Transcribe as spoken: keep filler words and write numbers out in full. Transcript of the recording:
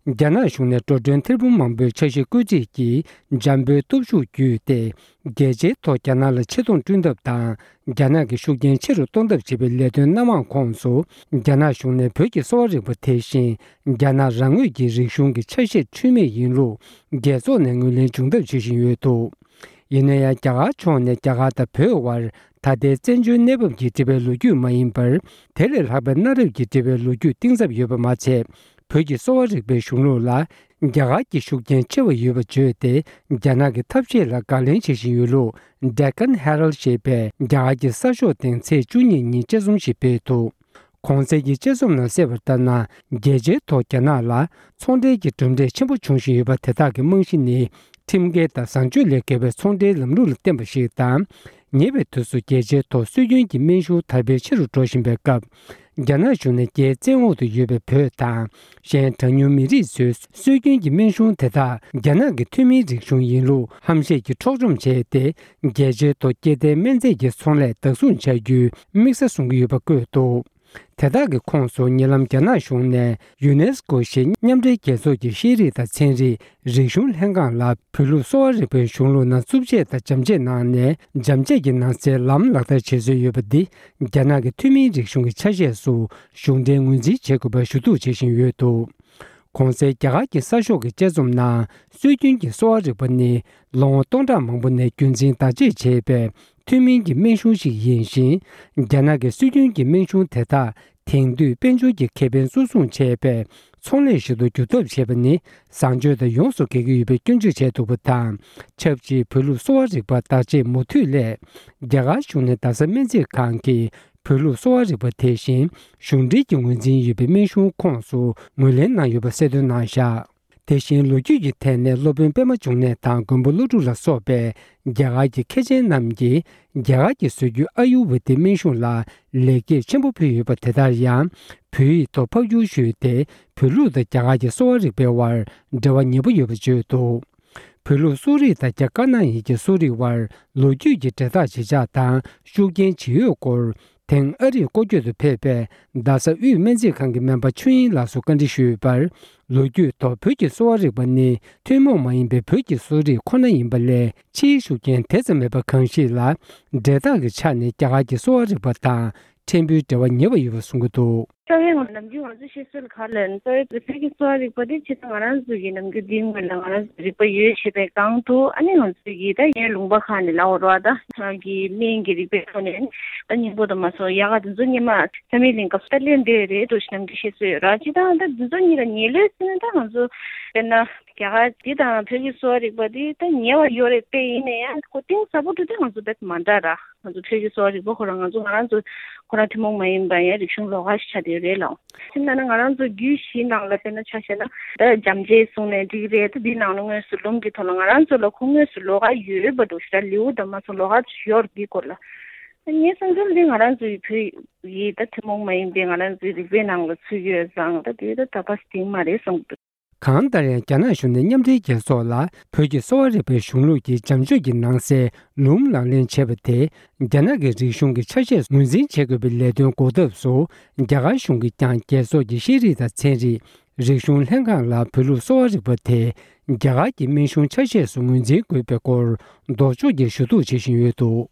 རྒྱ་ནག་གཞུང་ནས་འགྲོ་གྲོན་ཐེར་འབུམ་མང་པོའི་འཆར་གཞི་བཀོད་སྒྲིག་གིས་འཇམ་པོའི་སྟོབས་ཤུགས་བརྒྱུད་དེ། རྒྱལ་སྤྱིའི་ཐོག་རྒྱ་ནག་ལ་ཆེ་མཐོང་བསྐྲུན་ཐབས་དང་། རྒྱ་ནག་གི་ཤུགས་རྐྱེན་ཆེ་རུ་གཏོང་ཐབས་བྱེད་པའི་ལས་དོན་སྣ་མང་ཁོངས་སུ། རྒྱ་ནག་གཞུང་ནས་བོད་ཀྱི་གསོ་བ་རིག་པ་དེ་བཞིན་རྒྱ་ནག་རང་ངོས་ཀྱི་རིག་གཞུང་གི་ཆ་ཤས་འཁྲུལ་མེད་ཡིན་ལུགས་རྒྱལ་ཚོགས་ནས་ངོས་ལེན་བྱུང་ཐབས་བྱེད་བཞིན་ཡོད་འདུག་ཡིན་ན་ཡང་། རྒྱ་གར་ཕྱོགས་ནས་རྒྱ་གར་དང་བོད་དབར་ད་ལྟའི་བཙན་བྱོལ་གནས་བབ་ཀྱིས་འབྲི་བའི་ལོ་རྒྱུས་མ་ཡིན་པར། དེ་ལས་ལྷག་པའི་གནའ་རབས་ཀྱིས་འབྲི་བའི་ལོ་རྒྱུས་གཏིང་ཟབ་ཡོད་པ་མ་ཚད། བོད་ཀྱི་གསོ་བ་རིག་པའི་གཞུང་ལུགས་ལ་རྒྱ་གར་གྱི་ཤུགས་རྐྱེན་ཆེ་བ་ཡོད་པ་བརྗོད་དེ། རྒྱ་ནག་གི་ཐབས་ཤེས་ལ་དགག་ལན་བྱེད་བཞིན་ཡོད་ལུགས། Deccan Herald ཞེས་པས་རྒྱ་གར་གྱི་གསར་ཤོག་སྟེང་ཚེས་བཅུ་གཉིས་ཉིན་དཔྱད་རྩོམ་ཞིག་སྤེལ་འདུག་གོང་གསལ་གྱི་དཔྱད་རྩོམ་ནང་གསལ་བར་ལྟར་ན། རྒྱལ་སྤྱིའི་ཐོག་རྒྱ་ནག་ལ་ཚོང་འབྲེལ་གྱི་གྲུབ་འབྲས་ཆེན་པོ་འབྱུང་བཞིན་ཡོད་པ་དེ་དག་གི་རྨང་གཞི་ནི། ཁྲིམས་འགལ་དང་བཟང་སྤྱོད་ལས་བརྒལ་བའི་ཚོང་འབྲེལ་ལམ་ལུགས་ལ་བརྟེན་པ་ཞིག་དང་། ཉེ་བའི་དུས་སུ་རྒྱལ་སྤྱིའི་ཐོག་སྲོལ་རྒྱུན་གྱི་སྨན་གཞུང་དར་སྤེལ་ཆེ་རུ་འགྲོ་བཞིན་པའི་སྐབས། རྒྱ་ནག་གཞུང་ནས་རྒྱའི་བཙན་འོག་ཏུ་ཡོད་པའི་བོད་དང་། གཞན་གྲངས་ཉུང་མི་རིགས་ཚོའི་སྲོལ་རྒྱུན་གྱི་སྨན་གཞུང་དེ་དག་རྒྱ་ནག་གི་ཐུན་མིན་རིག་གཞུང་ཡིན་ལུགས་ཧམ་བཤད་ཀྱིས་འཕྲོག་བཅོམ་བྱས་ཏེ། རྒྱལ་སྤྱིའི་ཐོག་སྐྱེ་ལྡན་སྨན་རྫས་ཀྱི་ཚོང་ལས་བདག་བཟུང་བྱ་རྒྱུའི་དམིགས་ས་བཟུང་གི་ཡོད་པ་བཀོད་འདུག་དེ་དག་གི་ཁོངས་སུ་ཉེ་ལམ་རྒྱ་ནག་གཞུང་ནས་ཡུ་ནེ་སི་ཀོ་ཞེས་མཉམ་འབྲེལ་རྒྱལ་ཚོགས་ཀྱི་ཤེས་རིག་དང་ཚན་རིག་རིག་གཞུང་ལྷན་ཁང་ལ་བོད་ལུགས་གསོ་བ་རིག་པའི་གཞུང་ལུགས་ནང་རྩུབ་ཆས་དང་འཇམ་ཆས་གནང་ནས། འཇམ་ཆས་ཀྱི་ནང་གསེས་ལམ་ལག་བསྟར་བྱེད་སྲོལ་ཡོད་པ་འདི་རྒྱ་ནག་གི་ཐུན་མིན་རིག་གཞུང་གི་ཆ་ཤས་སུ་གཞུང་འབྲེལ་ངོས་འཛིན་བྱེད་དགོས་པར་ཞུ་གཏུག་བྱེད་བཞིན་ཡོད་འདུག་གོང་གསལ་རྒྱ་གར་གྱི་གསར་ཤོག་གི་དཔྱད་རྩོམ་ནང་། སྲོལ་རྒྱུན་གྱི་གསོ་བ་རིག་པ་ནི་ལོ་ངོ་སྟོང་ཕྲག་མང་པོ་ནས་རྒྱུན་འཛིན་བདག་གཅེས་བྱས་པའི་ཐུན་མིན་གྱི་སྨན་གཞུང་ཞིག་ཡིན་ཞིང་། རྒྱ་ནག་གི་སྲོལ་རྒྱུན་གྱི་སྨན་གཞུང་དེ་དག་དེང་དུས་དཔལ་འབྱོར་གྱི་ཁེ་ཕན་གཙོ་བཟུང་བྱས་པའི་ཚོང་ལས་ཤིག་ཏུ་འགྱུར་ཐབས་བྱས་པ་ནི་བཟང་སྤྱོད་དང་ཡོངས་སུ་འགལ་གྱི་ཡོད་པའི་སྐྱོན་བརྗོད་བྱས་འདུག་པ་དང་། ཆབས་ཅིག་བོད་ལུགས་གསོ་བ་རིག་པ་བདག་གཅེས་མུ་མཐུད་སླད། རྒྱ་གར་གཞུང་ནས་རྡ་ས་སྨན་རྩིས་ཁང་གིས་བོད་ལུགས་གསོ་བ་རིག་པ་དེ་བཞིན་གཞུང་འབྲེལ་གྱི་ངོས་འཛིན་ཡོད་པའི་སྨན་གཞུང་ཁོངས་སུ་ངོས་ལེན་གནང་ཡོད་པ་གསལ་སྟོན་གནང་བཞག་དེ་བཞིན་ལོ་རྒྱུས་ཀྱི་ཐད་ནས་སློབ་དཔོན་པད་མ་འབྱུང་གནས་དང་མགོན་པོ་ཀླུ་སྒྲུབ་ལ་སོགས་པའི་རྒྱ་གར་གྱི་མཁས་ཆེན་རྣམས་ཀྱིས་རྒྱ་གར་གྱི་བཟོ་རྒྱུ་ཨ་ཡུར་ཝེ་དའི་སྨན་གཞུང་ལ་ལེགས་སྐྱེས་ཆེན་པོ་ཕུལ་ཡོད་པ་དེ་ལྟར་ཡང་། བོད་ཡིག་ཐོག་ཕབ་བསྒྱུར་ཞུས་ཏེ། བོད་ལུགས་དང་རྒྱ་གར་གྱི་གསོ་བ་རིག་པའི་དབར་འབྲེལ་བ་ཉེ་པོ་ཡོད་པ་བརྗོད་འདུག་བོད་ལུགས་གསོ་རིག་དང་རྒྱ་དཀར་ནག་གཉིས་ཀྱི་གསོ་རིག་དབར་ལོ་རྒྱུས་ཀྱི་འབྲེལ་ཐག་ཇེ་འཇགས་དང་ཤུགས་རྐྱེན་ཇི་ཡོད་སྐོར། དེང་ཨ་རིར་སྐོར་སྐྱོད་དུ་ཕེབས་པའི་རྡ་ས་དབུས་སྨན་རྩིས་ཁང་གི་སྨན་པ་ཆོས་དབྱིངས་ལགས་སུ་བཀའ་འདྲི་ཞུས་པར། ལོ་རྒྱུས་ཐོག་བོད་ཀྱི་གསོ་བ་རིག་པ་ནི་ཐུན་མོང་མ་ཡིན་པའི་བོད་ཀྱི་གསོ་རིག་ཁོ་ན་ཡིན་པ་ལས། ཕྱིའི་ཤུགས་རྐྱེན་དེ་ཙམ་མེད་པ་གང་ཞིག་ལ། འབྲེལ་ཐག་གི་ཆ་ནས་རྒྱ་གར་གྱི་གསོ་བ་རིག་པ་དང་ཕྲན་བུའི་འབྲེལ་བ་ཉེ་བ་ཡོད་པ་གསུང་གི་འདུག་རྩ་བའི་ནམ་རྒྱུན་ང་ཚོ་བཤད་སྲོལ་ག་ལ་རྩ་བའི་བོད་ཀྱི་གསོ་བ་རིག་པ་དེ་ཕྱི་ད་ང་རང་ཚོ་གི་ནམ་རྒྱུན་འདིའི་སྔོན་ལ་ང་རང་ཚོ་རིག་པ་ཡོད་ཞེས་པའི་སྒང་དུ། ཨ་ནི་ང་ཚོ་གི་ད་ཡའི་ལུང་པ་ཁག་ནས་ལབ་འོ་ར། ད་ང་གི་སྨན་གྱི་རིག་པའི་ཐོག་ནས་ད་སྙིང་པོ་དང་མ་སོ་ཡག་ག་དེ་ཚོ་སྔོན་མ་བསམ་ཡས་གླིང་སྐབས་སུ་ད་གླེང་བསྡད་རེད་འགྲོ་ཞེས་ནམ་རྒྱུན་བཤད་སྲོལ་ཡོད་ར། ཕྱི་ད་ད་དེ་ཚོ་གཉིས་ལ་ཉེ་ལོས་ཟེར་ན། ད་ང་ཚོ་དཔེར་ན་རྒྱ་གར་འདི་དང་བོད་ཀྱི་གསོ་བ་རིག་པ་འདི་ད་ཉེ་བ་ཡོད་རེད་དཔེ། ཡིན་ན་ཡང་ཁོ་གཏིང་ཟབ་པོ་འགྲོ་དུས་ང་ཚོ་དཔེ་མ་འདྲ་ར། ང་ཚོ་བོད་ཀྱི་གསོ་བ་རིག་པ་ཁོ་རང་ང་ཚོ་ང་རང་ཚོ་ཁོ་རང་ཐུན་མོང་མ་ཡིན་པ་ཡང་རིག་གཞུང་ལོགས་ཀ་ཞིག་ཆགས་བསྡད་ཡོད་རེད་ལ། དེ་ན་ན་ང་རང་ཚོ་རྒྱུད་བཞིའི་ནང་ལ་དཔེར་ན་ཆ་བཞག་ན་ད་འཇམ་དཔྱད་གསུངས་ནས་འགྲིག་རེད། ད་འདི་ནང་ལ་དངོས་སུ་ལུང་གི་ཐོག་ལ་ང་རང་ཚོ་ལ་ཁོ་དངོས་སུ་ལོགས་ཀ་ཡོད་པ་འགྲོ་ཞིག་ད་ལེའུ་དང་མ་སོང་ལོགས་ཀ་ཡོད་རེད། འདིའི་སྐོར་ལ་ངའི་བསམ་ཚུལ་འདི་ང་རང་ཚོའི་བོད་ཡིག་ད་ཐུན་མོང་མ་ཡིན་པའི་ང་རང་ཚོའི་རིག་པའི་ནང་ལ་ཚུད་ཡོད་ཙང་ད་དེ་ད་ད་པ་སྟིང་མ་རེད་བསམ་གྱི་འདུག་གང་ལྟར་ཡང་། རྒྱ་ནག་གཞུང་ནས་མཉམ་འབྲེལ་རྒྱལ་ཚོགས་ལ་བོད་ཀྱི་གསོ་བ་རིག་པའི་གཞུང་ལུགས་ཀྱི་བྱམས་སྤྱོད་ཀྱི་ནང་གསེས་ལུམ་ལག་ལེན་བྱས་པ་དེ། རྒྱ་ནག་གི་རིག་གཞུང་གི་ཆ་ཤས་ངོས་འཛིན་བྱེད་དགོས་པའི་ལས་དོན་འགོ་ཐབས་སུ། རྒྱ་གར་གཞུང་གིས་ཀྱང་རྒྱལ་ཚོགས་ཀྱི་ཤེས་རིག་དང་ཚན་རིག་རིག་གཞུང་ལྷན་ཁང་ལ་བོད་ལུགས་གསོ་བ་རིག་པ་དེ་རྒྱ་གར་གྱི་སྨན་གཞུང་ཆ་ཤས་སུ་ངོས་འཛིན་དགོས་པའི་སྐོར་ལྡོག་ཕྱོགས་ཀྱི་ཞུ་གཏུག་བྱེད་བཞིན་ཡོད་འདུག